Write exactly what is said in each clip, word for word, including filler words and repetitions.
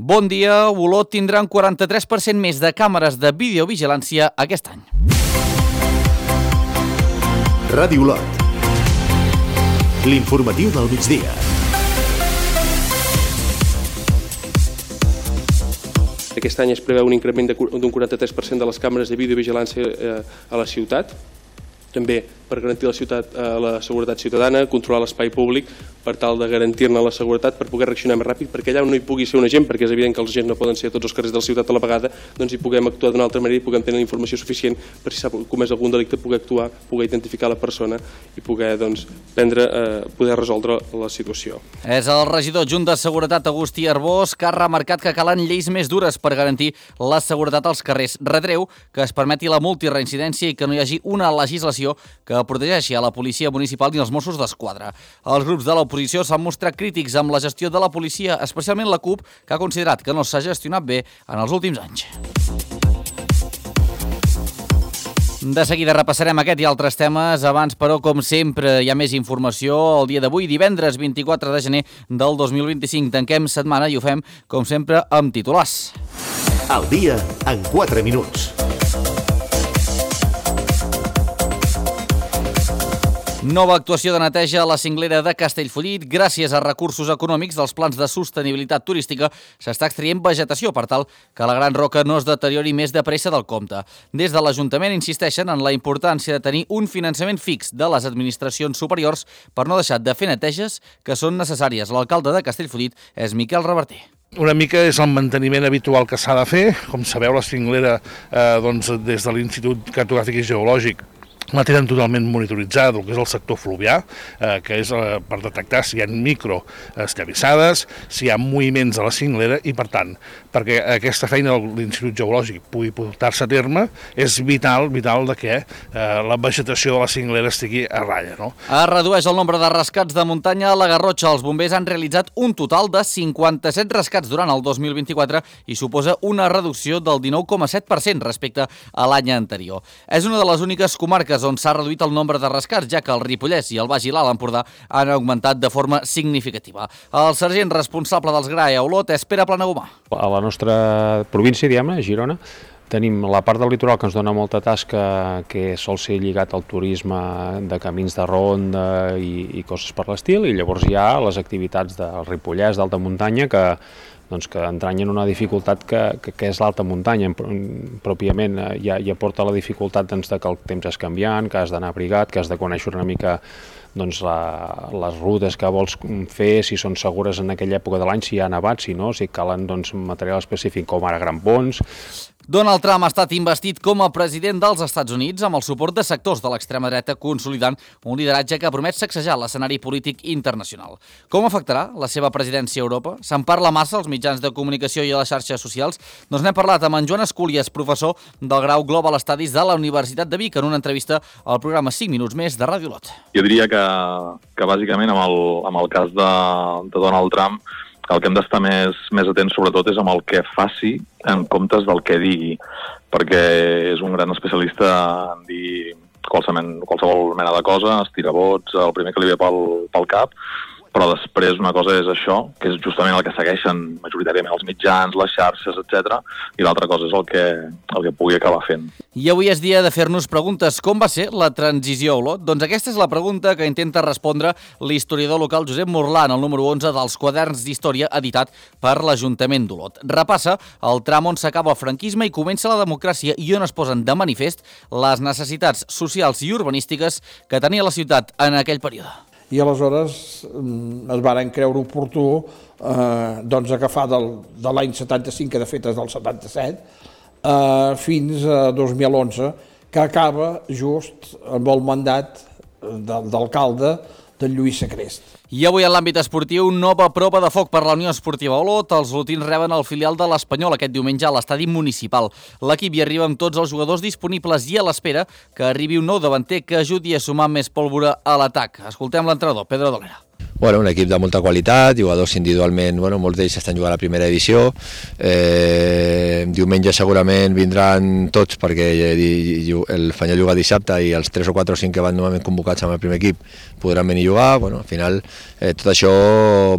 Bon dia, Olot tindrà un quaranta-tres per cent més de càmeres de videovigilància aquest any. Ràdio Olot. L'informatiu del migdia. Aquest any es preveu un increment d'un quaranta-tres per cent de les càmeres de videovigilància a la ciutat, també per garantir la, ciutat, la seguretat ciutadana, controlar l'espai públic per tal de garantir-ne la seguretat, per poder reaccionar més ràpid, perquè allà on no hi pugui ser un agent, perquè és evident que els agents no poden ser a tots els carrers de la ciutat a la vegada, doncs hi puguem actuar d'una altra manera i puguem tenir informació suficient per si s'ha comès algun delicte, poder actuar, poder identificar la persona i poder doncs, prendre, eh, poder resoldre la situació. És el regidor adjunt de Seguretat, Agustí Arbós, que ha remarcat que calen lleis més dures per garantir la seguretat als carrers. Retreu que es permeti la multireincidència i que no hi hagi una legislació que protegeixi a la policia municipal i els Mossos d'Esquadra. Els grups de l'oposició s'han mostrat crítics amb la gestió de la policia, especialment la CUP, que ha considerat que no s'ha gestionat bé en els últims anys. De seguida repassarem aquest i altres temes. Abans, però, com sempre, hi ha més informació. El dia d'avui, divendres vint-i-quatre de gener del dos mil vint-i-cinc, tanquem setmana i ho fem, com sempre, amb titulars. Al dia, en quatre minuts. Nova actuació de neteja a la cinglera de Castellfollit. Gràcies a recursos econòmics dels plans de sostenibilitat turística s'està extraient vegetació per tal que la Gran Roca no es deteriori més de pressa del compte. Des de l'Ajuntament insisteixen en la importància de tenir un finançament fix de les administracions superiors per no deixar de fer neteges que són necessàries. L'alcalde de Castellfollit és Miquel Reverter. Una mica és el manteniment habitual que s'ha de fer. Com sabeu, la cinglera eh, doncs, des de l'Institut Cartogràfic i Geològic la tenen totalment monitoritzada, el que és el sector fluvià, eh, que és eh, per detectar si hi ha microesllavissades, si hi ha moviments a la cinglera i, per tant, perquè aquesta feina de l'Institut Geològic pugui portar-se a terme, és vital, vital de que eh, la vegetació de la cinglera estigui a ratlla, no? Es redueix el nombre de rescats de muntanya a la Garrotxa. Els bombers han realitzat un total de cinquanta-set rescats durant el dos mil vint-i-quatre i suposa una reducció del dinou coma set per cent respecte a l'any anterior. És una de les úniques comarques on s'ha reduït el nombre de rescats, ja que el Ripollès i el Baix i l'Alt Empordà han augmentat de forma significativa. El sergent responsable dels G R A E a Olot és Pere Planagumà. A la nostra província, diguem-ne, Girona, tenim la part del litoral que ens dona molta tasca, que sol ser lligat al turisme de camins de ronda i, i coses per l'estil, i llavors hi ha les activitats del Ripollès, d'alta muntanya, que doncs que entranyen una dificultat que, que, que és l'alta muntanya. Pròpiament ja, ja porta la dificultat doncs, de que el temps és canviant, que has d'anar abrigat, que has de conèixer una mica doncs, la, les rutes que vols fer, si són segures en aquella època de l'any, si hi ha nevat, si no, si calen doncs, material específic com ara grampons. Donald Trump ha estat investit com a president dels Estats Units amb el suport de sectors de l'extrema dreta, consolidant un lideratge que promet sacsejar l'escenari polític internacional. Com afectarà la seva presidència a Europa? Se'n parla massa als mitjans de comunicació i a les xarxes socials? Doncs n'hem parlat amb en Joan Escúlies, professor del grau Global Studies de la Universitat de Vic, en una entrevista al programa cinc minuts més de Ràdio Olot. Jo diria que, que bàsicament amb el, amb el cas de, de Donald Trump, el que hem d'estar més, més atents sobretot és amb el que faci en comptes del que digui, perquè és un gran especialista en dir qualsevol, qualsevol mena de cosa, estirar vots, el primer que li ve pel, pel cap, però després una cosa és això, que és justament el que segueixen majoritàriament els mitjans, les xarxes, etcètera, i l'altra cosa és el que, el que pugui acabar fent. I avui és dia de fer-nos preguntes. Com va ser la transició a Olot? Doncs aquesta és la pregunta que intenta respondre l'historiador local Josep Morlà en el número onze dels quaderns d'història editat per l'Ajuntament d'Olot. Repassa el tram on s'acaba el franquisme i comença la democràcia i on es posen de manifest les necessitats socials i urbanístiques que tenia la ciutat en aquell període. I aleshores es varen creure oportú eh, doncs agafar del, de l'any setanta-cinc, que de fet és del setanta-set, eh, fins a dos mil onze, que acaba just amb el mandat de, d'alcalde de Lluís Sacrest. I avui en l'àmbit esportiu, nova prova de foc per la Unió Esportiva Olot. Els olotins reben el filial de l'Espanyol aquest diumenge a l'estadi municipal. L'equip hi arriba amb tots els jugadors disponibles i a l'espera que arribi un nou davanter que ajudi a sumar més pólvora a l'atac. Escoltem l'entrenador, Pedro Dolera. Bueno, un equip de molta qualitat, jugadors individualment, bueno, molts d'ells estan jugant a la primera divisió. Eh, diumenge segurament vindran tots perquè el Fanyol juga dissabte i els tres o quatre o cinc que van normalment convocats amb el primer equip podran venir a jugar. Bueno, al final eh, tot això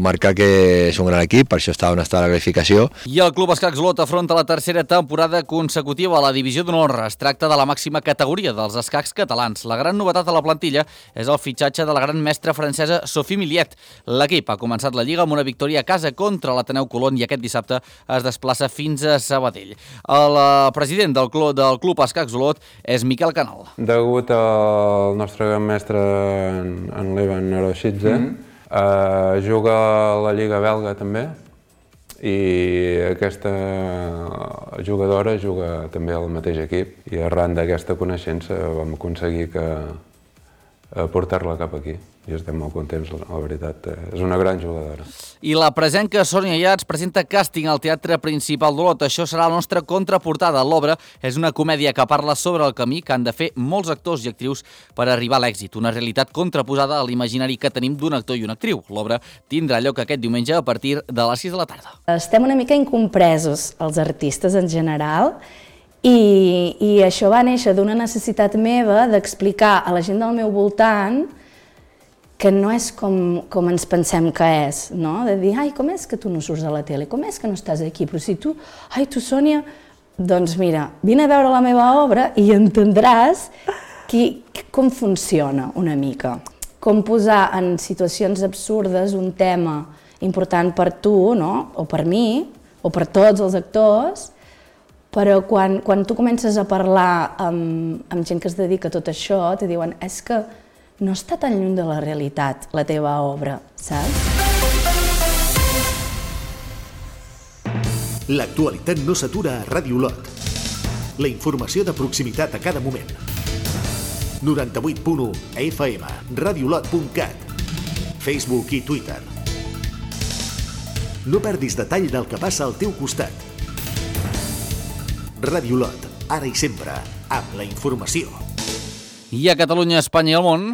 marca que és un gran equip, per això està on està la classificació. I el Club Escacs Olot afronta la tercera temporada consecutiva a la divisió d'honor. Es tracta de la màxima categoria dels escacs catalans. La gran novetat a la plantilla és el fitxatge de la gran mestra francesa Sophie Millet. L'equip ha començat la Lliga amb una victòria a casa contra l'Ateneu Colón i aquest dissabte es desplaça fins a Sabadell. El president del club, del club Escacs Olot és Miquel Canal. Degut al nostre gran mestre, en Levan Aroshidze, mm-hmm. eh, juga a la Lliga belga també, i aquesta jugadora juga també al mateix equip i arran d'aquesta coneixença vam aconseguir que portar-la cap aquí i estem molt contents, la veritat, és una gran jugadora. I la presenca Sònia Iats presenta càsting al Teatre Principal d'Olot. Això serà la nostra contraportada. L'obra és una comèdia que parla sobre el camí que han de fer molts actors i actrius per arribar a l'èxit, una realitat contraposada a l'imaginari que tenim d'un actor i una actriu. L'obra tindrà lloc aquest diumenge a partir de les sis de la tarda. Estem una mica incompresos, els artistes en general, i, i això va néixer d'una necessitat meva d'explicar a la gent del meu voltant que no és com, com ens pensem que és, no? De dir, ai, com és que tu no surts a la tele? Com és que no estàs aquí? Però si tu, ai, tu, Sònia, doncs mira, vine a veure la meva obra i entendràs qui, com funciona una mica. Com posar en situacions absurdes un tema important per tu, no? O per mi, o per tots els actors, però quan, quan tu comences a parlar amb, amb gent que es dedica a tot això, te diuen, és que no està tan lluny de la realitat, la teva obra, saps? L'actualitat no s'atura a Ràdio Olot. La informació de proximitat a cada moment. noranta-vuit punt u F M, radiolot punt cat, Facebook i Twitter. No perdis detall del que passa al teu costat. Ràdio Olot, ara i sempre, amb la informació. I a Catalunya, Espanya i el món...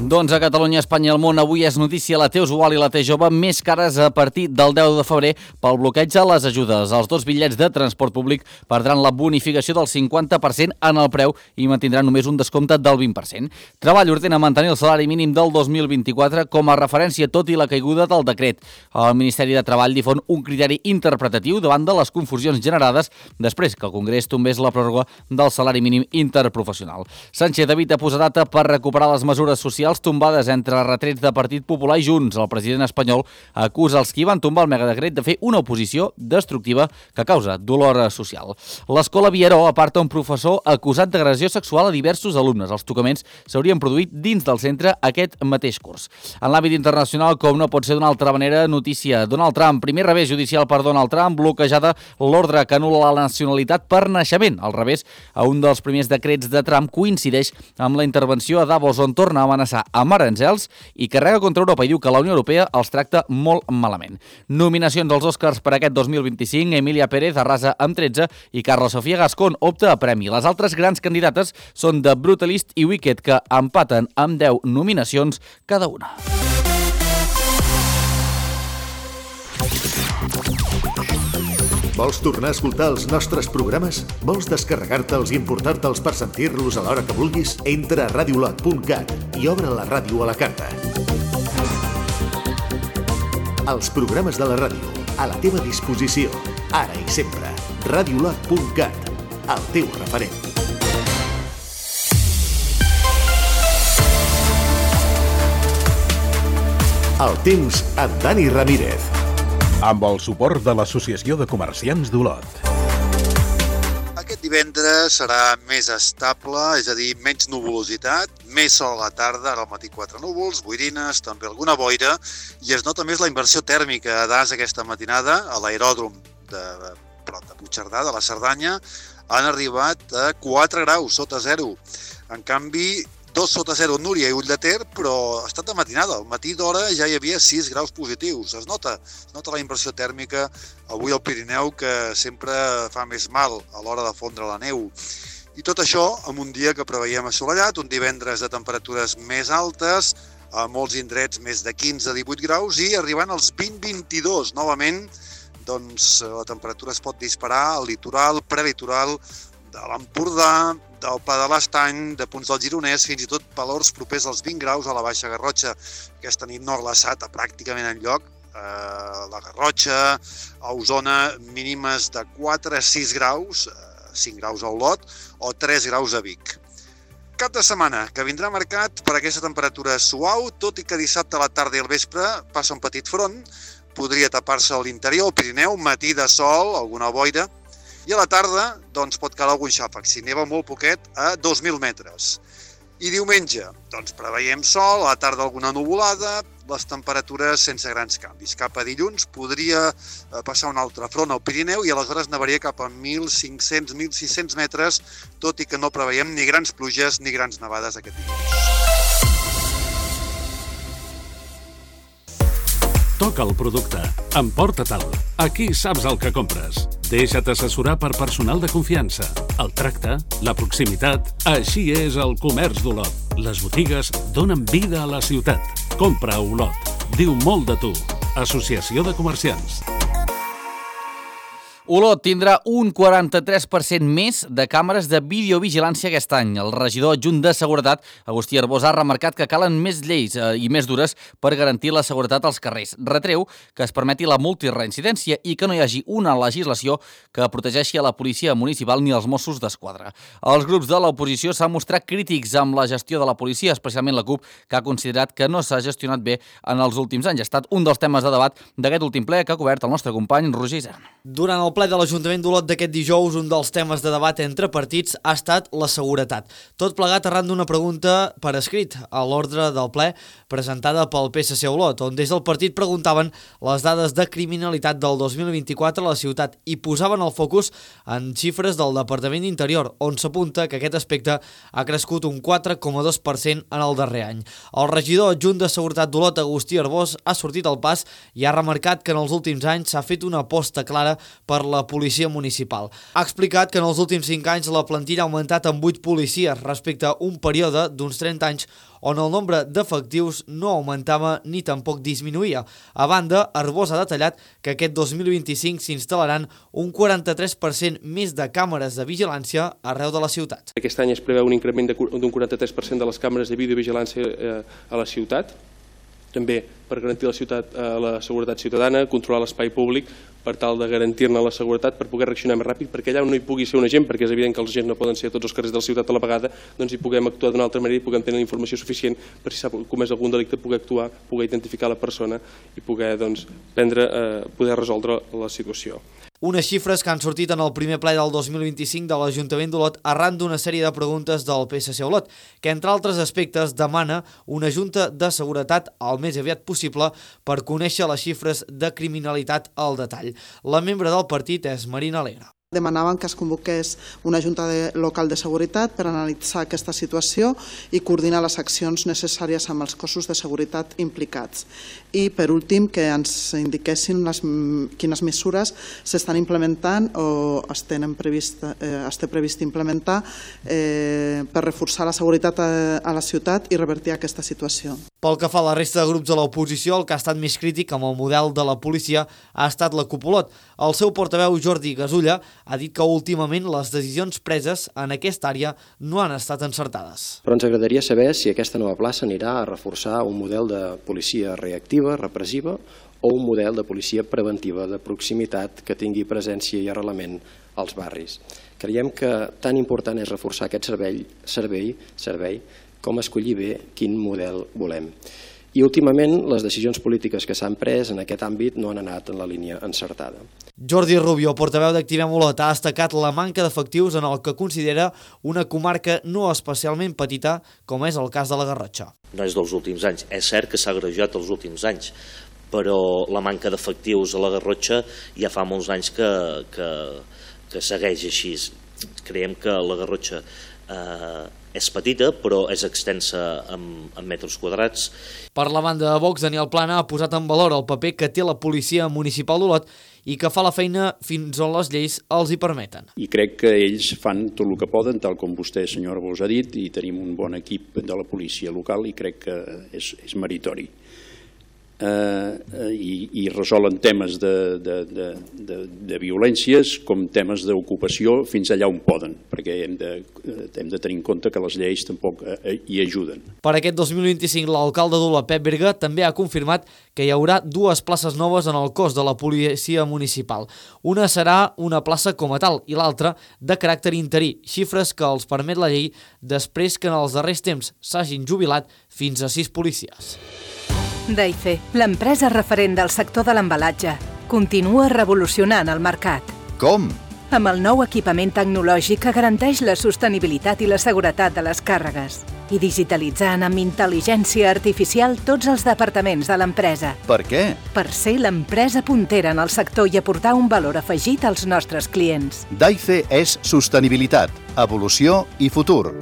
Doncs a Catalunya, Espanya i el món, avui és notícia la T usual i la T jove més cares a partir del deu de febrer pel bloqueig a les ajudes. Els dos bitllets de transport públic perdran la bonificació del cinquanta per cent en el preu i mantindran només un descompte del vint per cent. Treball ordena mantenir el salari mínim del dos mil vint-i-quatre com a referència, tot i la caiguda del decret. El Ministeri de Treball difon un criteri interpretatiu davant de les confusions generades després que el Congrés tombés la pròrroga del salari mínim interprofessional. Sánchez evita posar data per recuperar les mesures socials tombades entre retrets de Partit Popular i Junts. El president espanyol acusa els qui van tombar el megadecret de fer una oposició destructiva que causa dolor social. L'Escola Vieró aparta un professor acusat d'agressió sexual a diversos alumnes. Els tocaments s'haurien produït dins del centre aquest mateix curs. En l'àmbit internacional, com no pot ser d'una altra manera, notícia. Donald Trump, primer revés judicial per Donald Trump, bloquejada l'ordre que anul·la la nacionalitat per naixement. Al revés, a un dels primers decrets de Trump coincideix amb la intervenció a Davos, on torna a amenaçar amb aranzels i carrega contra Europa i diu que la Unió Europea els tracta molt malament. Nominacions als Oscars per aquest dos mil vint-i-cinc, Emilia Pérez arrasa amb tretze i Carla Sofia Gascón opta a premi. Les altres grans candidates són The Brutalist i Wicked, que empaten amb deu nominacions cada una. Vols tornar a escoltar els nostres programes? Vols descarregar-te'ls i emportar-te'ls per sentir-los a l'hora que vulguis? Entra a radiolot punt cat i obre la ràdio a la carta. Els programes de la ràdio, a la teva disposició, ara i sempre. radiolot punt cat, el teu referent. El temps amb Dani Ramírez. Amb el suport de l'Associació de Comerciants d'Olot. Aquest divendres serà més estable, és a dir, menys nuvolositat, més sol a la tarda, ara al matí quatre núvols, boirines, també alguna boira, i es nota més la inversió tèrmica a Das aquesta matinada, a l'aeròdrom de prop de Puigcerdà, de la Cerdanya, han arribat a quatre graus sota zero. En canvi, dos sota zero Núria i Ull de Ter, però ha estat de matinada. Al matí d'hora ja hi havia sis graus positius. Es nota, es nota la inversió tèrmica avui al Pirineu, que sempre fa més mal a l'hora de fondre la neu. I tot això amb un dia que preveiem assolellat, un divendres de temperatures més altes, a molts indrets més de quinze a divuit graus i arribant als vint a vint-i-dos. Novament, doncs, la temperatura es pot disparar al litoral, prelitoral, de l'Empordà, del Pla de l'Estany, de punts del Gironès, fins i tot valors propers als vint graus a la Baixa Garrotxa. Aquesta nit no ha glaçat a pràcticament enlloc. Eh, la Garrotxa, a Osona, mínimes de quatre a sis graus, cinc graus a Olot, o tres graus a Vic. Cap de setmana que vindrà marcat per aquesta temperatura suau, tot i que dissabte a la tarda i al vespre passa un petit front, podria tapar-se a l'interior, al Pirineu, matí de sol, alguna boira, i a la tarda doncs, pot calar algun xàfec, si neva molt poquet, a dos mil metres. I diumenge, doncs preveiem sol, a la tarda alguna nuvolada, les temperatures sense grans canvis. Cap a dilluns podria passar un altre front al Pirineu i aleshores nevaria cap a mil cinc-cents a mil sis-cents metres, tot i que no preveiem ni grans pluges ni grans nevades aquest dilluns. Toca el producte. Emporta-te'l. Aquí saps el que compres. Deixa't assessorar per personal de confiança. El tracte, la proximitat... Així és el comerç d'Olot. Les botigues donen vida a la ciutat. Compra a Olot. Diu molt de tu. Associació de Comerciants. Olot tindrà un quaranta-tres per cent més de càmeres de videovigilància aquest any. El regidor adjunt de Seguretat, Agustí Arbós, ha remarcat que calen més lleis eh, i més dures per garantir la seguretat als carrers. Retreu que es permeti la multireincidència i que no hi hagi una legislació que protegeixi a la policia municipal ni als Mossos d'Esquadra. Els grups de l'oposició s'han mostrat crítics amb la gestió de la policia, especialment la CUP, que ha considerat que no s'ha gestionat bé en els últims anys. Ha estat un dels temes de debat d'aquest últim ple que ha cobert el nostre company Roger Isern. Durant el ple de l'Ajuntament d'Olot d'aquest dijous, un dels temes de debat entre partits ha estat la seguretat. Tot plegat arran d'una pregunta per escrit a l'ordre del ple presentada pel P S C Olot, on des del partit preguntaven les dades de criminalitat del dos mil vint-i-quatre a la ciutat i posaven el focus en xifres del Departament d'Interior, on s'apunta que aquest aspecte ha crescut un quatre coma dos per cent en el darrer any. El regidor adjunt de Seguretat d'Olot, Agustí Arbós, ha sortit al pas i ha remarcat que en els últims anys s'ha fet una aposta clara per la policia municipal. Ha explicat que en els últims cinc anys la plantilla ha augmentat en vuit policies respecte a un període d'uns trenta anys on el nombre d'efectius no augmentava ni tampoc disminuïa. A banda, Arbós ha detallat que aquest dos mil vint-i-cinc s'instal·laran un quaranta-tres per cent més de càmeres de vigilància arreu de la ciutat. Aquest any es preveu un increment d'un quaranta-tres per cent de les càmeres de videovigilància a la ciutat, també per garantir la, ciutat, eh, la seguretat ciutadana, controlar l'espai públic per tal de garantir-ne la seguretat, per poder reaccionar més ràpid, perquè allà on no hi pugui ser un agent, perquè és evident que els agents no poden ser a tots els carrers de la ciutat a la vegada, doncs hi puguem actuar d'una altra manera i puguem tenir la informació suficient per si s'ha comès algun delicte, poder actuar, poder identificar la persona i poder doncs, prendre, eh, poder resoldre la situació. Unes xifres que han sortit en el primer ple del dos mil vint-i-cinc de l'Ajuntament d'Olot arran d'una sèrie de preguntes del P S C Olot, que entre altres aspectes demana una junta de seguretat el més aviat possible per conèixer les xifres de criminalitat al detall. La membre del partit és Marina Alegre. Demanaven que es convoqués una junta de, local de seguretat per analitzar aquesta situació i coordinar les accions necessàries amb els cossos de seguretat implicats. I, per últim, que ens indiquessin les, quines mesures s'estan implementant o es, tenen previst, eh, es té previst implementar eh, per reforçar la seguretat a, a la ciutat i revertir aquesta situació. Pel que fa a la resta de grups de l'oposició, el que ha estat més crític amb el model de la policia ha estat la CUP Olot. El seu portaveu, Jordi Gasulla, ha dit que últimament les decisions preses en aquesta àrea no han estat encertades. Però ens agradaria saber si aquesta nova plaça anirà a reforçar un model de policia reactiva, repressiva, o un model de policia preventiva, de proximitat, que tingui presència i arrelament als barris. Creiem que tan important és reforçar aquest servei, servei, servei com escollir bé quin model volem. I últimament les decisions polítiques que s'han pres en aquest àmbit no han anat en la línia encertada. Jordi Rubio, portaveu d'Activem Olot, ha destacat la manca d'efectius en el que considera una comarca no especialment petita, com és el cas de la Garrotxa. No és dels últims anys, és cert que s'ha agreujat els últims anys, però la manca d'efectius a la Garrotxa ja fa molts anys que, que, que segueix així. Creiem que la Garrotxa eh, és petita, però és extensa en, en metres quadrats. Per la banda de Vox, Daniel Plana ha posat en valor el paper que té la policia municipal d'Olot i que fa la feina fins on les lleis els hi permeten. I crec que ells fan tot el que poden, tal com vostè, senyor Arbós, ha dit, i tenim un bon equip de la policia local i crec que és, és meritori. Uh, i, i resolen temes de, de, de, de, de violències com temes d'ocupació fins allà on poden, perquè hem de, hem de tenir en compte que les lleis tampoc hi ajuden. Per aquest dos mil vint-i-cinc, l'alcalde d'Olot, Pep Berga, també ha confirmat que hi haurà dues places noves en el cos de la policia municipal. Una serà una plaça com a tal i l'altra de caràcter interí, xifres que els permet la llei després que en els darrers temps s'hagin jubilat fins a sis policies. Daife, l'empresa referent del sector de l'embalatge, continua revolucionant el mercat. Com? Amb el nou equipament tecnològic que garanteix la sostenibilitat i la seguretat de les càrregues i digitalitzant amb intel·ligència artificial tots els departaments de l'empresa. Per què? Per ser l'empresa puntera en el sector i aportar un valor afegit als nostres clients. Daife és sostenibilitat, evolució i futur.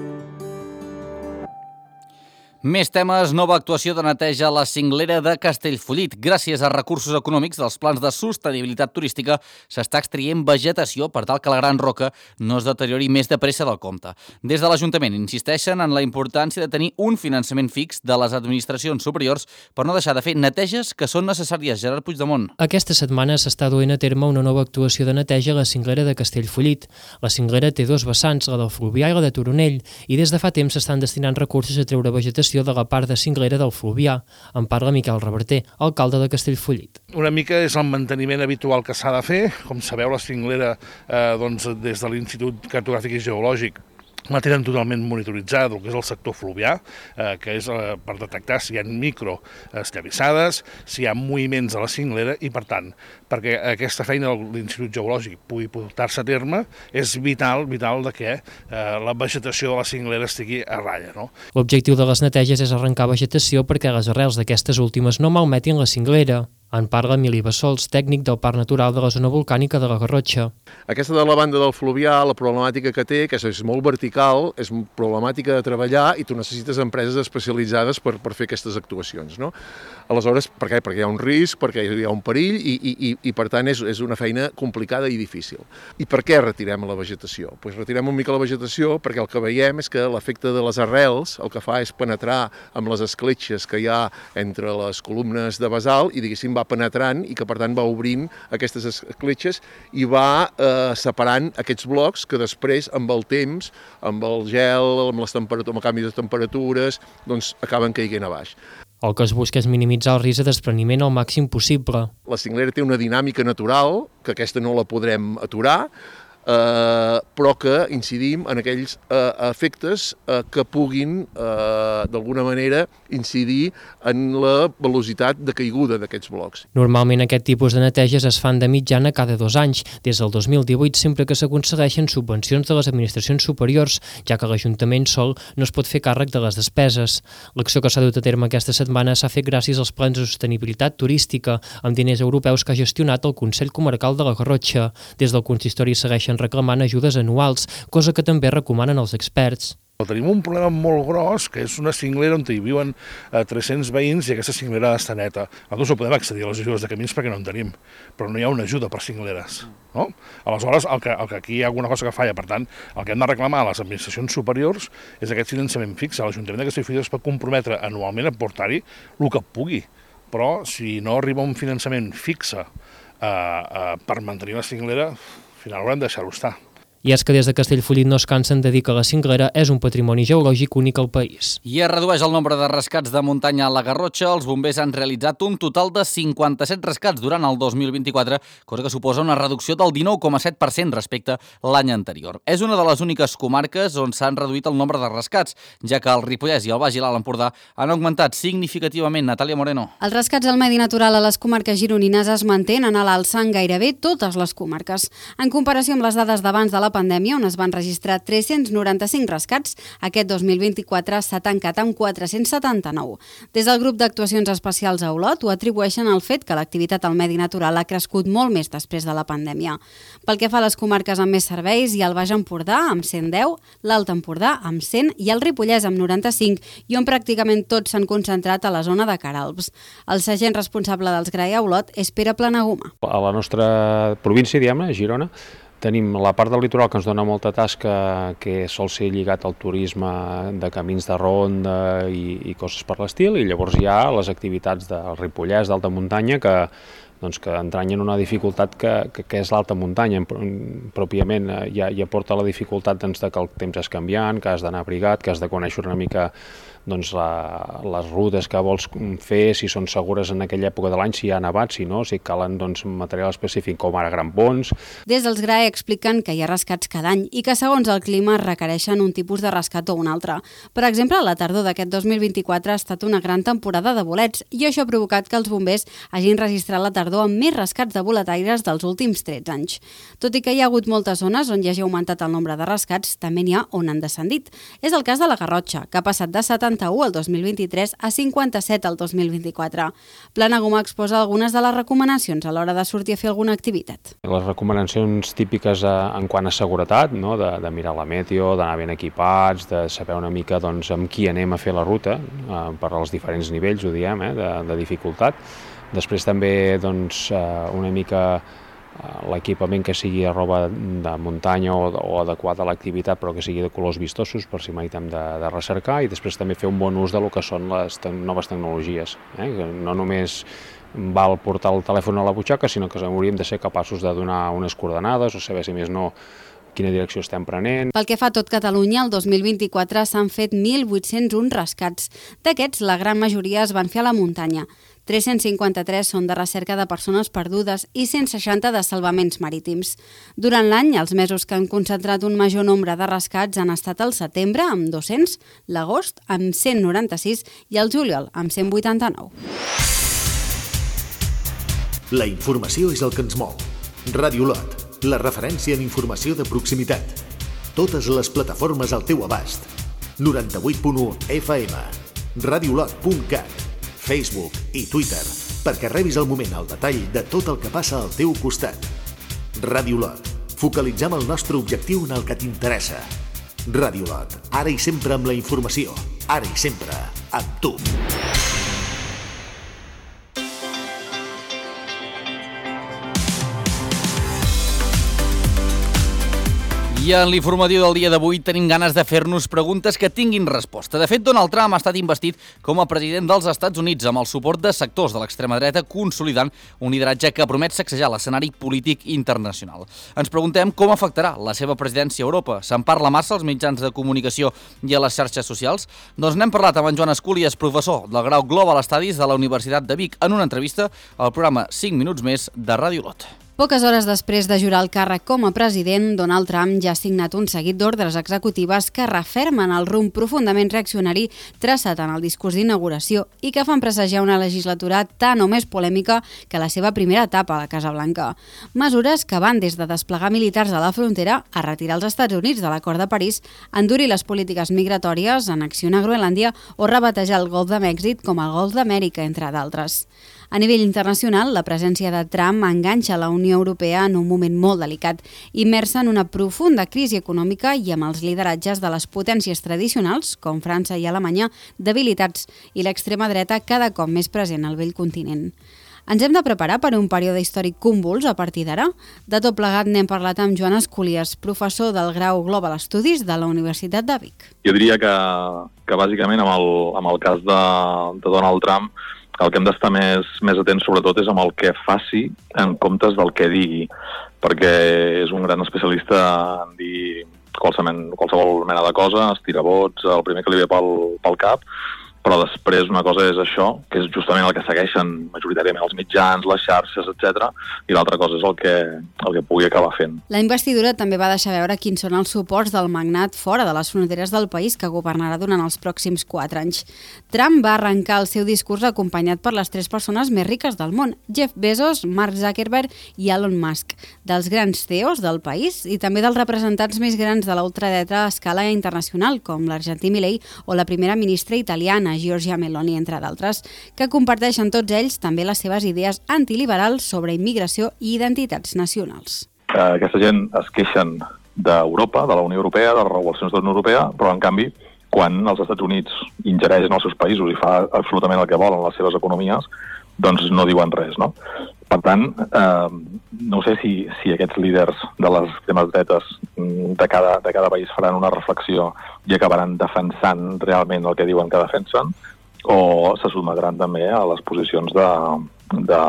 Més temes, nova actuació de neteja a la cinglera de Castellfollit. Gràcies a recursos econòmics dels plans de sostenibilitat turística s'està extraient vegetació per tal que la Gran Roca no es deteriori més de pressa del compte. Des de l'Ajuntament insisteixen en la importància de tenir un finançament fix de les administracions superiors per no deixar de fer neteges que són necessàries. Gerard Puigdemont. Aquesta setmana s'està duent a terme una nova actuació de neteja a la cinglera de Castellfollit. La cinglera té dos vessants, la del Fluvià i la de Toronell, i des de fa temps s'estan destinant recursos a treure vegetació de la part de cinglera del Fluvià. En parla Miquel Reverter, alcalde de Castellfollit. Una mica és el manteniment habitual que s'ha de fer. Com sabeu, la cinglera, eh, doncs, des de l'Institut Cartogràfic i Geològic, la tenen totalment monitoritzada, el que és el sector fluvià, eh, que és eh, per detectar si hi ha micro esllavissades, si hi ha moviments a la cinglera i, per tant, perquè aquesta feina de l'Institut Geològic pugui portar-se a terme, és vital, vital de que eh, la vegetació de la cinglera estigui a ratlla, no? L'objectiu de les neteges és arrencar vegetació perquè les arrels d'aquestes últimes no malmetin la cinglera. En parla Emili Bassols, tècnic del Parc Natural de la Zona Volcànica de la Garrotxa. Aquesta de la banda del Fluvià, la problemàtica que té, que és molt vertical, és problemàtica de treballar i tu necessites empreses especialitzades per, per fer aquestes actuacions, no? Aleshores, per què? Perquè hi ha un risc, perquè hi ha un perill i, i, i, i per tant és, és una feina complicada i difícil. I per què retirem la vegetació? Pues retirem una mica la vegetació perquè el que veiem és que l'efecte de les arrels el que fa és penetrar amb les escletxes que hi ha entre les columnes de basalt i, diguéssim, va penetrant i que per tant va obrint aquestes escletxes i va eh, separant aquests blocs que després amb el temps, amb el gel, amb, les amb el canvi de temperatures, doncs acaben caient a baix. El que es busca és minimitzar el risc de despreniment al màxim possible. La cinglera té una dinàmica natural, que aquesta no la podrem aturar, eh, però que incidim en aquells eh, efectes eh, que puguin, eh, d'alguna manera, incidir en la velocitat de caiguda d'aquests blocs. Normalment aquest tipus de neteges es fan de mitjana cada dos anys, des del dos mil divuit sempre que s'aconsegueixen subvencions de les administracions superiors, ja que l'Ajuntament sol no es pot fer càrrec de les despeses. L'acció que s'ha dut a terme aquesta setmana s'ha fet gràcies als plans de sostenibilitat turística, amb diners europeus que ha gestionat el Consell Comarcal de la Garrotxa. Des del consistori segueixen reclamant ajudes anuals, cosa que també recomanen els experts. Tenim un problema molt gros, que és una cinglera on hi viuen eh, tres-cents veïns i aquesta cinglera ha d'estar neta. Nosaltres no podem accedir a les ajudes de camins perquè no en tenim, però no hi ha una ajuda per cingleres. No? Aleshores, el que, el que aquí hi ha alguna cosa que falla. Per tant, el que hem de reclamar a les administracions superiors és aquest finançament fix. L'Ajuntament de Castellfollit es pot comprometre anualment a portar-hi el que pugui, però si no arriba un finançament fixe eh, eh, per mantenir la cinglera, al final haurem de deixar-ho estar. I és que des de Castellfollit no es cansen de dir que la cinglera és un patrimoni geològic únic al país. I es redueix el nombre de rescats de muntanya a la Garrotxa. Els bombers han realitzat un total de cinquanta-set rescats durant el dos mil vint-i-quatre, cosa que suposa una reducció del dinou coma set per cent respecte a l'any anterior. És una de les úniques comarques on s'han reduït el nombre de rescats, ja que el Ripollès i el Baix i l'Alt Empordà han augmentat significativament. Natàlia Moreno. Els rescats al medi natural a les comarques gironines es mantenen a l'alça en gairebé totes les comarques. En comparació amb les dades d'abans de la la pandèmia, on es van registrar tres-cents noranta-cinc rescats, aquest dos mil vint-i-quatre s'ha tancat amb quatre-cents setanta-nou. Des del grup d'actuacions especials a Olot ho atribueixen al fet que l'activitat al medi natural ha crescut molt més després de la pandèmia. Pel que fa a les comarques amb més serveis, hi ha el Baix Empordà amb cent deu, l'Alt Empordà amb cent i el Ripollès amb noranta-cinc, i on pràcticament tots s'han concentrat a la zona de Caralbs. El sergent responsable dels G R A I a Olot és Pere Planaguma. A la nostra província, diguem-ne, Girona, tenim la part del litoral que ens dona molta tasca, que sol ser lligat al turisme de camins de ronda i, i coses per l'estil, i llavors hi ha les activitats del Ripollès, d'alta muntanya, que doncs que entranyen una dificultat que, que, que és l'alta muntanya. Pròpiament ja, ja porta la dificultat doncs, de que el temps és canviant, que has d'anar abrigat, que has de conèixer una mica doncs, la, les rutes que vols fer, si són segures en aquella època de l'any, si hi ha nevat, si no, si calen doncs, material específic com ara grampons. Des dels G R A I expliquen que hi ha rescats cada any i que segons el clima requereixen un tipus de rescat o un altre. Per exemple, la tardor d'aquest dos mil vint-i-quatre ha estat una gran temporada de bolets i això ha provocat que els bombers hagin registrat la tardor amb més rescats de boletaires dels últims tretze anys. Tot i que hi ha hagut moltes zones on hi hagi augmentat el nombre de rescats, també n'hi ha on han descendit. És el cas de la Garrotxa, que ha passat de setanta-u el dos mil vint-i-tres a cinquanta-set el dos mil vint-i-quatre. Planaguma exposa algunes de les recomanacions a l'hora de sortir a fer alguna activitat. Les recomanacions típiques en quant a seguretat, no? de, de mirar la meteo, d'anar ben equipats, de saber una mica doncs, amb qui anem a fer la ruta, eh, per als diferents nivells, ho diem, eh, de, de dificultat. Després també doncs, una mica l'equipament que sigui a roba de muntanya o, o adequat a l'activitat, però que sigui de colors vistosos per si mai hem de, de recercar, i després també fer un bon ús de lo que són les te noves tecnologies. Eh? Que no només val portar el telèfon a la butxaca, sinó que hauríem de ser capaços de donar unes coordenades o saber, si més no, quina direcció estem prenent. Pel que fa a tot Catalunya, el dos mil vint-i-quatre s'han fet mil vuit-cents un rescats. D'aquests, la gran majoria es van fer a la muntanya. tres-cents cinquanta-tres són de recerca de persones perdudes i cent seixanta de salvaments marítims. Durant l'any, els mesos que han concentrat un major nombre de rescats han estat el setembre, amb dos-cents, l'agost, amb cent noranta-sis, i el juliol, amb cent vuitanta-nou. La informació és el que ens mou. Ràdio Olot, la referència en informació de proximitat. Totes les plataformes al teu abast. noranta-vuit punt u F M, radiolot punt cat, Facebook i Twitter, perquè rebis al moment el detall de tot el que passa al teu costat. Ràdio Olot, focalitzem el nostre objectiu en el que t'interessa. Ràdio Olot, ara i sempre amb la informació, ara i sempre amb tu. I en l'informatiu del dia d'avui tenim ganes de fer-nos preguntes que tinguin resposta. De fet, Donald Trump ha estat investit com a president dels Estats Units amb el suport de sectors de l'extrema dreta, consolidant un lideratge que promet sacsejar l'escenari polític internacional. Ens preguntem com afectarà la seva presidència a Europa. Se'n parla massa als mitjans de comunicació i a les xarxes socials? Doncs n'hem parlat amb en Joan Esculies, professor del grau Global Studies de la Universitat de Vic, en una entrevista al programa cinc minuts més de Ràdio Olot. Poques hores després de jurar el càrrec com a president, Donald Trump ja ha signat un seguit d'ordres executives que refermen el rumb profundament reaccionari traçat en el discurs d'inauguració i que fan presagiar una legislatura tan o més polèmica que la seva primera etapa a la Casa Blanca. Mesures que van des de desplegar militars a la frontera a retirar els Estats Units de l'Acord de París, endurir les polítiques migratòries, annexionar Groenlàndia o rebatejar el Golf de Mèxic com el Golf d'Amèrica, entre d'altres. A nivell internacional, la presència de Trump enganxa la Unió Europea en un moment molt delicat, immersa en una profunda crisi econòmica i amb els lideratges de les potències tradicionals, com França i Alemanya, debilitats, i l'extrema dreta cada cop més present al vell continent. Ens hem de preparar per un període històric convuls a partir d'ara? De tot plegat n'hem parlat amb Joan Esculies, professor del grau Global Studies de la Universitat de Vic. Jo diria que, que bàsicament amb el, amb el cas de, de Donald Trump el que hem d'estar més, més atents sobretot és amb el que faci en comptes del que digui, perquè és un gran especialista en dir qualsevol, qualsevol mena de cosa, estira vots, el primer que li ve pel, pel cap, però després una cosa és això, que és justament el que segueixen majoritàriament els mitjans, les xarxes, etcètera, i l'altra cosa és el que, el que pugui acabar fent. La investidura també va deixar veure quins són els suports del magnat fora de les fronteres del país que governarà durant els pròxims quatre anys. Trump va arrencar el seu discurs acompanyat per les tres persones més riques del món, Jeff Bezos, Mark Zuckerberg i Elon Musk, dels grans C E Os del país i també dels representants més grans de la ultradreta a escala internacional, com l'argentí Milei o la primera ministra italiana, Giorgia Meloni, entre d'altres, que comparteixen tots ells també les seves idees antiliberals sobre immigració i identitats nacionals. Eh, aquesta gent es queixen d'Europa, de la Unió Europea, de les regulacions de la Unió Europea, però en canvi, quan els Estats Units ingereixen els seus països i fa absolutament el que volen les seves economies, doncs no diuen res, no? Per tant, eh, no sé si, si aquests líders de les extremes dretes de cada, de cada país faran una reflexió i acabaran defensant realment el que diuen que defensen, o se sotmetran també a les posicions de, de,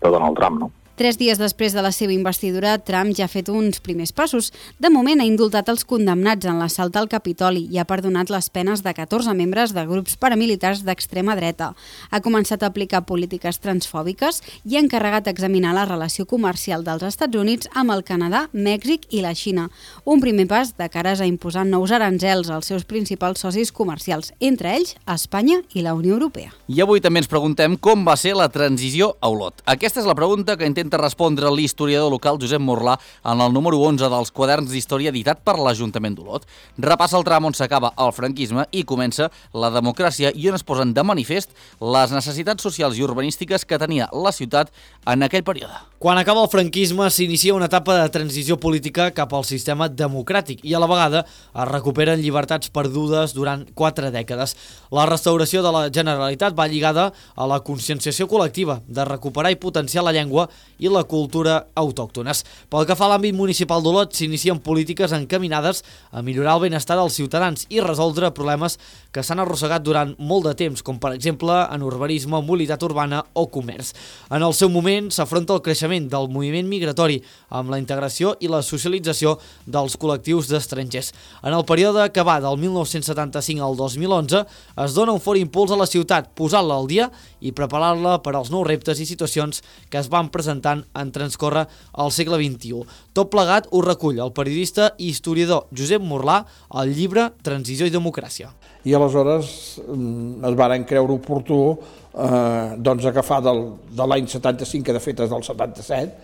de Donald Trump, no? Tres dies després de la seva investidura, Trump ja ha fet uns primers passos. De moment ha indultat els condemnats en l'assalt al Capitoli i ha perdonat les penes de catorze membres de grups paramilitars d'extrema dreta. Ha començat a aplicar polítiques transfòbiques i ha encarregat examinar la relació comercial dels Estats Units amb el Canadà, Mèxic i la Xina. Un primer pas de cares a imposar nous aranzels als seus principals socis comercials, entre ells Espanya i la Unió Europea. I avui també ens preguntem com va ser la transició a Olot. Aquesta és la pregunta que intenta respondre l'historiador local Josep Morlà en el número onze dels quaderns d'història editat per l'Ajuntament d'Olot. Repassa el tram on s'acaba el franquisme i comença la democràcia i on es posen de manifest les necessitats socials i urbanístiques que tenia la ciutat en aquell període. Quan acaba el franquisme s'inicia una etapa de transició política cap al sistema democràtic i a la vegada es recuperen llibertats perdudes durant quatre dècades. La restauració de la Generalitat va lligada a la conscienciació col·lectiva de recuperar i potenciar la llengua i la cultura autòctones. Pel que fa a l'àmbit municipal d'Olot, s'inicien polítiques encaminades a millorar el benestar dels ciutadans i resoldre problemes que s'han arrossegat durant molt de temps, com per exemple en urbanisme, mobilitat urbana o comerç. En el seu moment s'afronta el creixement del moviment migratori amb la integració i la socialització dels col·lectius d'estrangers. En el període que va del mil nou-cents setanta-cinc al dos mil onze es dona un fort impuls a la ciutat, posant-la al dia i preparar-la per als nous reptes i situacions que es van presentant en transcórrer al segle vint-i-u. Tot plegat ho recull el periodista i historiador Josep Morlà al llibre Transició i democràcia. I aleshores es varen creure oportú eh, doncs agafar del, de l'any setanta-cinc, que de fet és del setanta-set,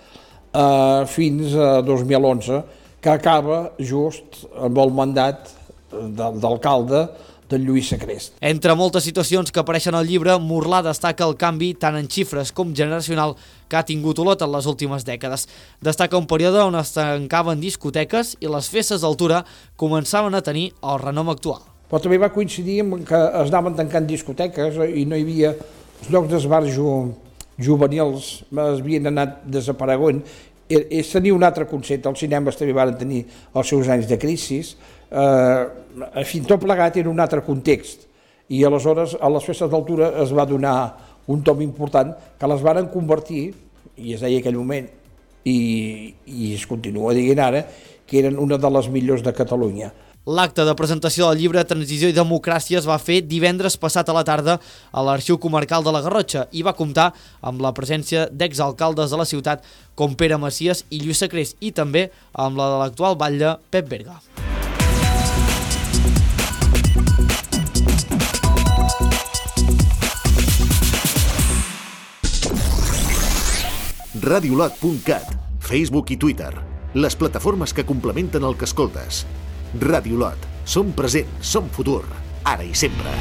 eh, fins a dos mil onze, que acaba just amb el mandat de, d'alcalde del Lluís Sacrest. Entre moltes situacions que apareixen al llibre, Morlà destaca el canvi tant en xifres com generacional que ha tingut Olot en les últimes dècades. Destaca un període on es tancaven discoteques i les festes d'altura començaven a tenir el renom actual. Però també va coincidir amb que es anaven tancant discoteques i no hi havia els llocs d'esbarjo juvenils, es havien anat desapareguent. Es tenia un altre concepte, els cinemes també van tenir els seus anys de crisi, eh, en fi, tot plegat era un altre context, i aleshores a les festes d'altura es va donar un tom important que les varen convertir, i es deia aquell moment, i, i es continua dient ara, que eren una de les millors de Catalunya. L'acte de presentació del llibre Transició i democràcia es va fer divendres passat a la tarda a l'Arxiu Comarcal de la Garrotxa i va comptar amb la presència d'exalcaldes de la ciutat com Pere Macias i Lluís Sacrest i també amb la de l'actual batlle Pep Berga. radiolot punt cat, Facebook i Twitter, les plataformes que complementen el que escoltes. Radiolot. Som present, som futur, ara i sempre.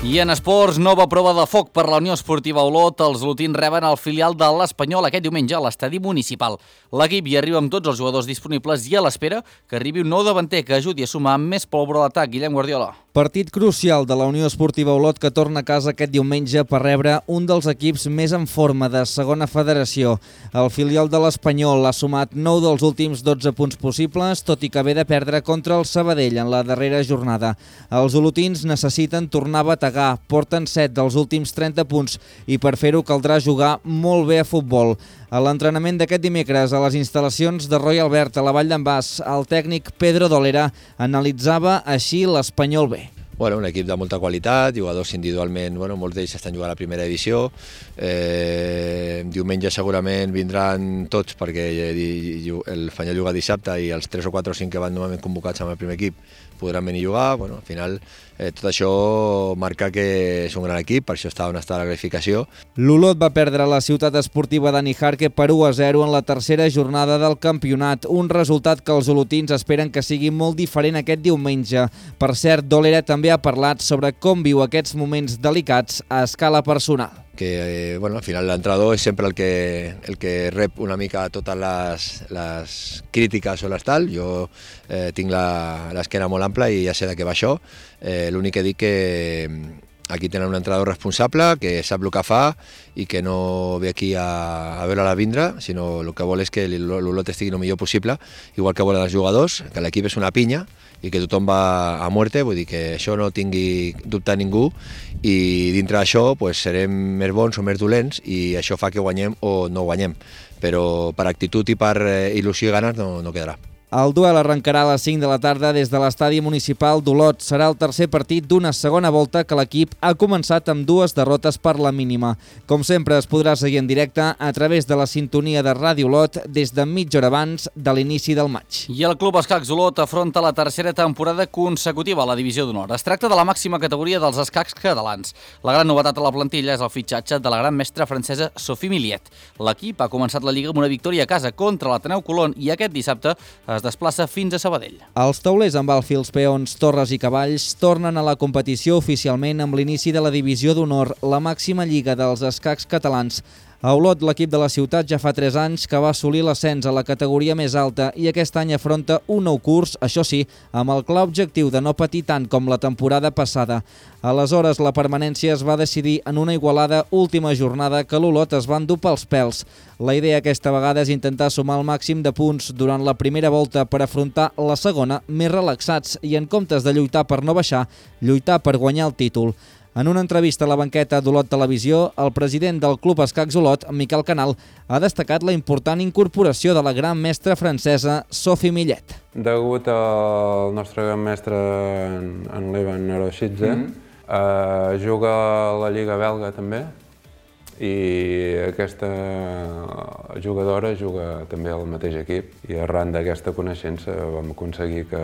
I en esports, nova prova de foc per la Unió Esportiva Olot. Els olotins reben el filial de l'Espanyol aquest diumenge a l'estadi municipal. L'equip hi arriba amb tots els jugadors disponibles i a l'espera que arribi un nou davanter que ajudi a sumar més pólvora a l'atac. Guillem Guardiola. Partit crucial de la Unió Esportiva Olot, que torna a casa aquest diumenge per rebre un dels equips més en forma de segona federació. El filial de l'Espanyol ha sumat nou dels últims dotze punts possibles, tot i que ve de perdre contra el Sabadell en la darrera jornada. Els olotins necessiten tornar a bategar, porten set dels últims trenta punts i per fer-ho caldrà jugar molt bé a futbol. A l'entrenament d'aquest dimecres a les instal·lacions de Roy Albert a la Vall d'en Bas, el tècnic Pedro Dolera analitzava així l'Espanyol B. Bueno, un equip de molta qualitat, jugadors individualment, bueno, molts d'ells estan jugant a la primera divisió. Eh, diumenge segurament vindran tots perquè l'Espanyol juga dissabte i els tres o quatre o cinc que van normalment convocats amb el primer equip podran venir a jugar. Bueno, al final eh, tot això marca que és un gran equip, per això està on està la classificació. L'Olot va perdre la ciutat esportiva de Nijarque per u a zero en la tercera jornada del campionat, un resultat que els olotins esperen que sigui molt diferent aquest diumenge. Per cert, Dolera també ha parlat sobre com viu aquests moments delicats a escala personal. Que eh, bueno, al final l'entrenador és sempre el que, el que rep una mica totes les, les crítiques o les tal. Jo eh, tinc l'esquena molt ampla i ja sé de què va això. Eh, L'únic que dic que aquí tenen un entrenador responsable que sap el que fa i que no ve aquí a, a veure-la vindre, sinó el que vol és que l'Olot estigui el millor possible, igual que volen els jugadors, que l'equip és una pinya i que tothom va a muerte, vull dir que això no tingui dubte ningú, i dintre d'això pues, serem més bons o més dolents i això fa que guanyem o no guanyem, però per actitud i per il·lusió i ganes no, no quedarà. El duel arrencarà a les cinc de la tarda des de l'estadi municipal d'Olot. Serà el tercer partit d'una segona volta que l'equip ha començat amb dues derrotes per la mínima. Com sempre, es podrà seguir en directe a través de la sintonia de Ràdio Olot des de mitja hora abans de l'inici del maig. I el Club Escacs Olot afronta la tercera temporada consecutiva a la Divisió d'Honor. Es tracta de la màxima categoria dels escacs catalans. La gran novetat a la plantilla és el fitxatge de la gran mestra francesa Sophie Millet. L'equip ha començat la Lliga amb una victòria a casa contra l'Ateneu Colón i aquest dissabte es desplaça fins a Sabadell. Els taulers amb alfils, peons, torres i cavalls tornen a la competició oficialment amb l'inici de la Divisió d'Honor, la màxima lliga dels escacs catalans. A Olot, l'equip de la ciutat ja fa tres anys que va assolir l'ascens a la categoria més alta i aquest any afronta un nou curs, això sí, amb el clar objectiu de no patir tant com la temporada passada. Aleshores, la permanència es va decidir en una igualada última jornada que l'Olot es va endur pels pèls. La idea aquesta vegada és intentar sumar el màxim de punts durant la primera volta per afrontar la segona més relaxats i en comptes de lluitar per no baixar, lluitar per guanyar el títol. En una entrevista a la banqueta d'Olot Televisió, el president del Club Escacs Olot, Miquel Canal, ha destacat la important incorporació de la gran mestra francesa Sophie Millet. Degut al nostre gran mestre, en Levan Neroshidze, mm -hmm. eh, juga a la Lliga belga també, i aquesta jugadora juga també al mateix equip, i arran d'aquesta coneixença vam aconseguir que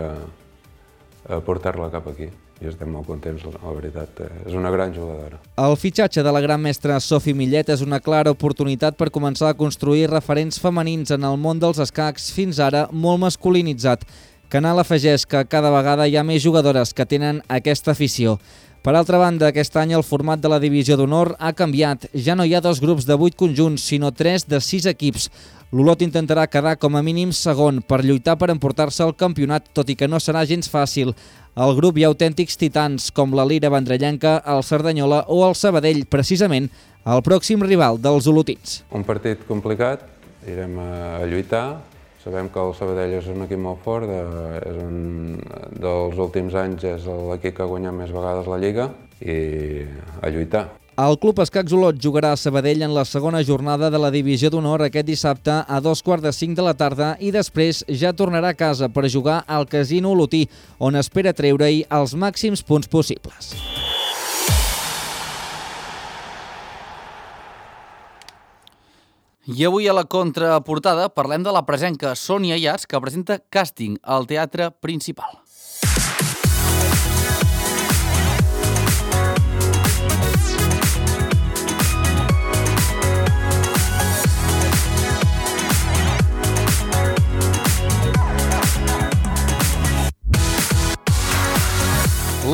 portar-la cap aquí. I estem molt contents, la veritat. És una gran jugadora. El fitxatge de la gran mestra Sophie Millet és una clara oportunitat per començar a construir referents femenins en el món dels escacs, fins ara molt masculinitzat. Canal afegeix que cada vegada hi ha més jugadores que tenen aquesta afició. Per altra banda, aquest any el format de la Divisió d'Honor ha canviat. Ja no hi ha dos grups de vuit conjunts, sinó tres de sis equips. L'Olot intentarà quedar com a mínim segon per lluitar per emportar-se el campionat, tot i que no serà gens fàcil. Al grup hi ha autèntics titans com la Lira Vendrellenca, el Cerdanyola o el Sabadell, precisament el pròxim rival dels olotins. Un partit complicat, irem a lluitar. Sabem que el Sabadell és un equip molt fort, és un dels últims anys és l'equip que ha guanyat més vegades la Lliga, i a lluitar. El Club Escacs Olot jugarà a Sabadell en la segona jornada de la Divisió d'Honor aquest dissabte a dos quarts de cinc de la tarda i després ja tornarà a casa per jugar al Casino Olotí, on espera treure-hi els màxims punts possibles. I avui a la contraportada parlem de la presenca Sònia Yats, que presenta Càsting al Teatre Principal.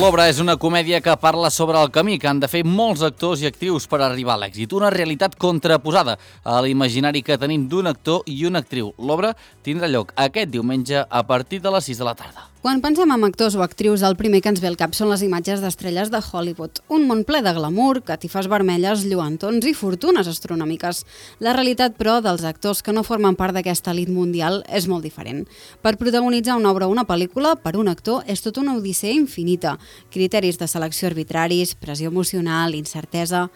L'obra és una comèdia que parla sobre el camí que han de fer molts actors i actrius per arribar a l'èxit. Una realitat contraposada a l'imaginari que tenim d'un actor i una actriu. L'obra tindrà lloc aquest diumenge a partir de les sis de la tarda. Quan pensem en actors o actrius, el primer que ens ve al cap són les imatges d'estrelles de Hollywood. Un món ple de glamour, catifes vermelles, lluentons i fortunes astronòmiques. La realitat, però, dels actors que no formen part d'aquesta elit mundial és molt diferent. Per protagonitzar una obra o una pel·lícula, per un actor, és tota una odissea infinita. Criteris de selecció arbitraris, pressió emocional, incertesa...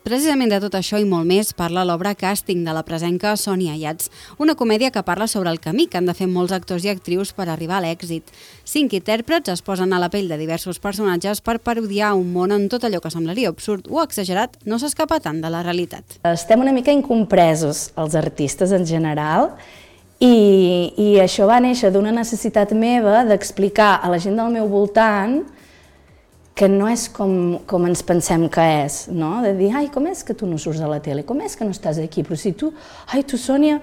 Precisament de tot això i molt més parla l'obra Càsting de la presenca Sònia Ayats, una comèdia que parla sobre el camí que han de fer molts actors i actrius per arribar a l'èxit. Cinc intèrprets es posen a la pell de diversos personatges per parodiar un món on tot allò que semblaria absurd o exagerat no s'escapa tant de la realitat. Estem una mica incompresos, els artistes en general, i, i això va néixer d'una necessitat meva d'explicar a la gent del meu voltant que no és com, com ens pensem que és, no? De dir, ai, com és que tu no surts a la tele? Com és que no estàs aquí? Però si tu, ai, tu, Sònia,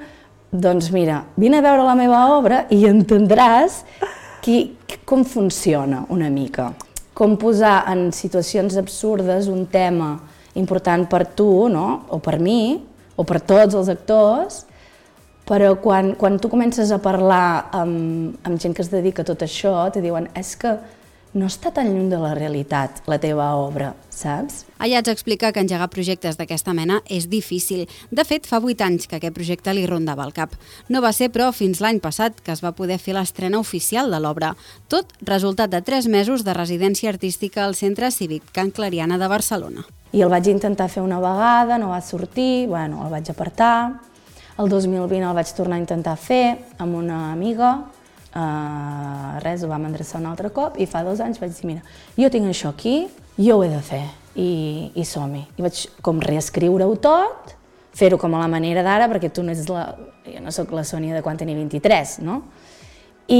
doncs mira, vine a veure la meva obra i entendràs qui, com funciona una mica. Com posar en situacions absurdes un tema important per tu, no? O per mi, o per tots els actors, però quan, quan tu comences a parlar amb, amb gent que es dedica a tot això, te diuen, és que no està tan lluny de la realitat, la teva obra, saps? Ayats explica que engegar projectes d'aquesta mena és difícil. De fet, fa vuit anys que aquest projecte li rondava el cap. No va ser, però, fins l'any passat que es va poder fer l'estrena oficial de l'obra. Tot resultat de tres mesos de residència artística al Centre Cívic Can Clariana de Barcelona. I el vaig intentar fer una vegada, no va sortir, bueno, el vaig apartar. El dos mil vint el vaig tornar a intentar fer amb una amiga. Uh, res, ho vam endreçar un altre cop i fa dos anys vaig dir, mira, jo tinc això aquí, jo ho he de fer i, i som-hi. I vaig com reescriure-ho tot, fer-ho com a la manera d'ara, perquè tu no ets la... jo no sóc la Sònia de quan tenia vint-i-tres, no? I,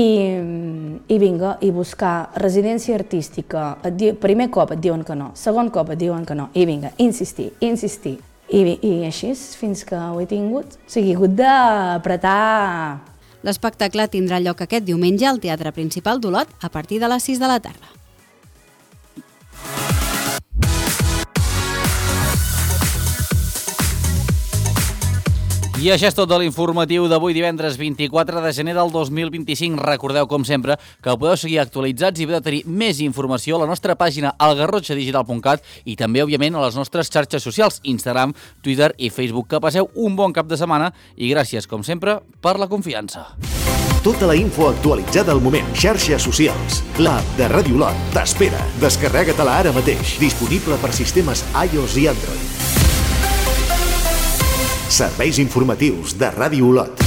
i vinga, i buscar residència artística, et di... primer cop et diuen que no, segon cop et diuen que no, i vinga, insistir, insistir. I, i així fins que ho he tingut, o sigui, he hagut d'apretar. L'espectacle tindrà lloc aquest diumenge al Teatre Principal d'Olot a partir de les sis de la tarda. I això és tot de l'informatiu d'avui divendres vint-i-quatre de gener del dos mil vint-i-cinc. Recordeu, com sempre, que podeu seguir actualitzats i podeu tenir més informació a la nostra pàgina al garrotxa digital punt cat i també, òbviament, a les nostres xarxes socials, Instagram, Twitter i Facebook. Que passeu un bon cap de setmana i gràcies, com sempre, per la confiança. Tota la info actualitzada al moment. Xarxes socials. L'app de Ràdio Olot t'espera. Descarrega-te-la ara mateix. Disponible per sistemes iOS i Android. Serveis informatius de Ràdio Olot.